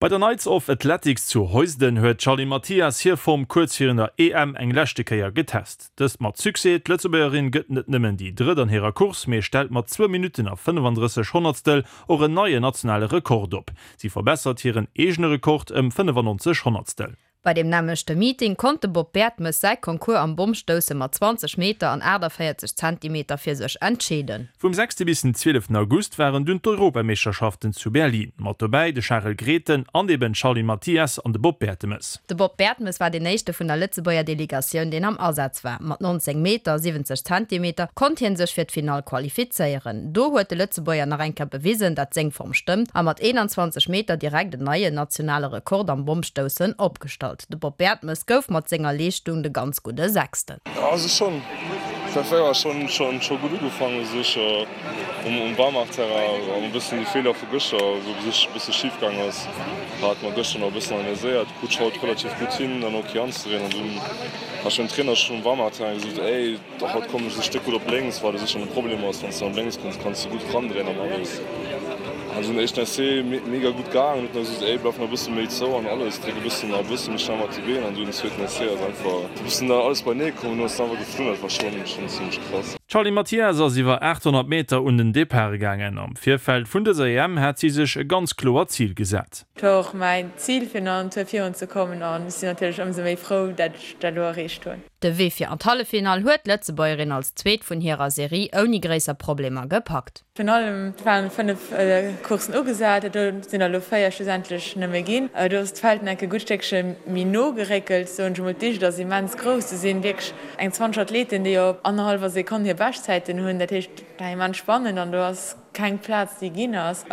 Bei der Knights of Athletics zu Heusden huet d'Charline Mathias hir Form kuerz virun der EM eng leschte Kéier getest. Dëst mat Succès, d'Lëtzebuergerin gëtt net nëmmen déi Drëtt an hirer Course, mee stellt mat zwou Minutten a 35 Honnertstel och en neien nationale Rekord op. Si verbessert hiren eegene Rekord ëm 95 Honnertstel. Bei deem nämmlechte Meeting konnt de Bob Bertemes säi Concours am Bommstousse mat 20 Meter an 48 Zentimeter fir sech entscheeden. Vum sechste bis den zwieleften August waren dunn d'Europameeschterschaften zu Berlin. Mat dobäi de Charel Grethen an eben d'Charline Mathias an de Bob Bertemes. De Bob Bertemes war deen éischte vun der Lëtzebuerger Delegatioun, deen am Asaz war. Mat 19 Meter, 70 Zentimeter konnt hie sech fir d'Finall qualifizéieren. Do huet de Lëtzebuerger nach eng Kéier bewisen, dat seng Form stëmmt a mat 21 Meter direkt en neien nationale Rekord am Bommstoussen opgestallt. De Bob Bertemes gouf mat senger Leeschtung de ganz gudde Sechsten. Ja also schon war schon schon schon gutt ugefaangen u sech um Warmachterrain an e bëssen déi Feeler vu gëschter wou u sech e bësse schif gaang ass hat mer gëschter nach e bëssen analyséiert krut ech haut relativ gutt hin dann ok anzedréien an dunn hat ech dem Trainer schon um Warmachterrain gesot ey Dach haut kommen ech e Stéck gutt op lénks, wat u sech schon e Problem ass, wann s de op lénks kënns, kanns de gutt randréien an alles. Also den éischten Essai mega gutt gaangen, huet nach gesot ey bleif nach e bësse méi zou an alles, dréck e bëssen a bësse méi schnell mat de Been an dunn den zweeten Essai ass einfach e bëssen da alles beinee komm an du ass einfach geflunn, dat war schon schon zimmlech krass. D'Charline Mathias ass iwwer 800 Meter un den Depart gaangen. Am Virfeld vun dëser EM hat si sech e ganz kloert Zil gesat. Et war och mäin Zil fir nach en Tour virun ze kommen an ech sinn natierlech ëmsou méi frou dat ech dat elo erreecht hunn. De Wee fir an d'Halleffinall huet d'Lëtzebuergerin als Zweet vun hirer Serie ouni gréisser Problemer gepackt. Virun allem et waren 5 Courssen ugesat, do sinn der elo 4 schlussendlech nëmme ginn. Do ass d'Feld nach e gutt Stéckche méi no geréckelt, soen ech emol. D'Dicht ass immens grouss, do sinn wierklech eng 20 Athleten, déi op annerhallwer Sekonn hir Beschtzäiten hunn. Dat heescht, et war immens spannend an do ass keng Plaz déi ginn ass.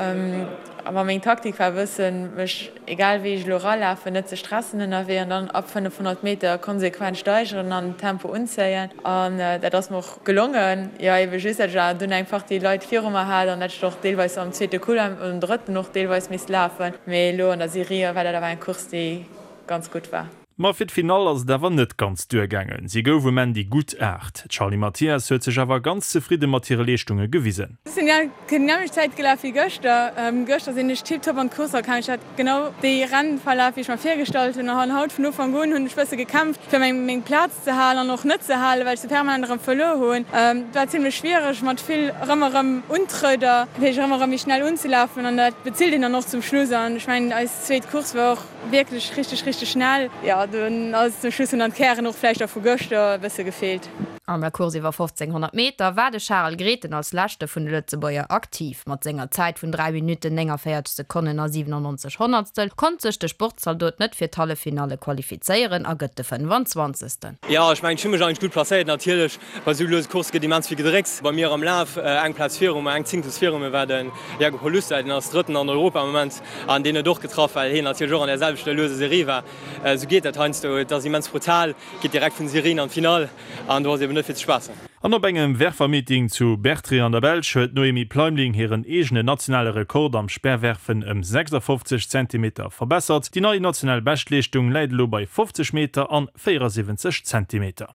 Awer meng Taktik war e bëssen, mech egal wéi ech elo eralafen, net ze stressen ënnerwee an dann ab 500 Meter konsequent steigeren an den Tempo unzéien. An dat ass mer och gelongen. Jo, ebe just, dat ech awer dunn eng Partie Leit viru mer hat an dat ech och deelweis am zweete Couloir, am drëtten och deelweis misst lafen. Mee elo an der Serie war dat awer eng Course déi ganz gutt war. Ma fir d'Finall ass et awer net ganz duergaangen. Si gouf um Enn déi gutt 8. D'Charline Mathias huet sech awer ganz zefridde mat hire Leeschtunge gewisen. Ech sinn déi nämmlecht Zäit gelaf wéi gëschter. Gëschter sinn ech tiptop an d'Course erkaam. Ech hat genau dee Rennverlaf wéi ech mer virgestallt hunn. An haut vun Ufank un hunn ech bësse gekämpft fir meng Plaz ze halen an och net ze halen, well ech se permanent erëm verluer hunn. Et war zimlech schwiereg mat vill erëm erëm Untrëder, dat heescht erëm erëm méi schnell unzelafen an dat bezilt een dann och zum Schluss. An ech mengen eis zweet Course war och Wierklech richteg richteg schnell. Jo dunn ass zum Schluss hunn dann d'Kären och vläicht och vu gëschter e bësse gefeelt. An der Course iwwer 1500 Meter war de Charel Grethen als leschte vun de Lëtzebuerger aktiv. Mat senger Zäit vun 3 Minutten, 49 Sekonnen a 97 Honnertstel konnt sech de Sportzaldot net fir d'Halleffinalle qualifizéieren a gëtt de 25. Jo, ech mengen, ech hu mech eigentlech gutt placéiert. Natierlech, bei esou luese Coursse gëtt immens vill gedrécks. Bei mir am Laf, eng Plaz viru mer, eng Zéngtels viru mir war de Jakub Holusta, deen ass Drëtten an Europa am Moment. An deen huet och getraff, well hien natierlech och an där selwechter lueser Serie war. Esou geet dat heiansdo. Et ass immens brutal, geet direkt vun Serien an d'Finall an do ass eben net fir ze spaassen. An op engem Werfermeeting zu Bertrix an der Belsch huet d'Noémie Pleimling hiren eegenen nationale Rekord am Speerwerfen ëm 56 Zentimeter verbessert. Déi nei national Beschtleeschtung läit elo bei 50 Meter an 74 Zentimeter.